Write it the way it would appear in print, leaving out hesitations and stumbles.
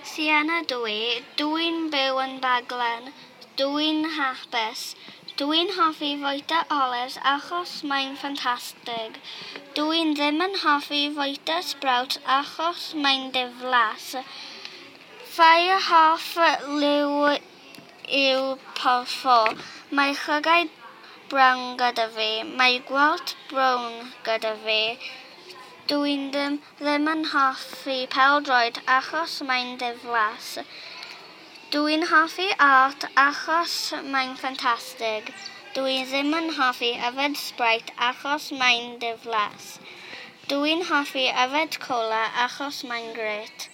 Sienna dw i. Dw i'n byw yn Baglan. Dw i'n hapus. Dw i'n hoffi fwyta olives achos mae'n ffantastig. Dw i ddim yn hoffi fwyta sprouts achos mae'n ddiflas. Fy hoff liw yw porffor. Mae llygaid brown gyda fi. Mae gwallt brown gyda fi. Dw i ddim, ddim yn hoffi pêl-droed achos mae'n ddiflas. Dw i'n hoffi art achos mae'n ffantastig. Dw i ddim yn hoffi yfed Sprite achos mae'n ddiflas. Dw i'n hoffi yfed cola achos mae'n grêt.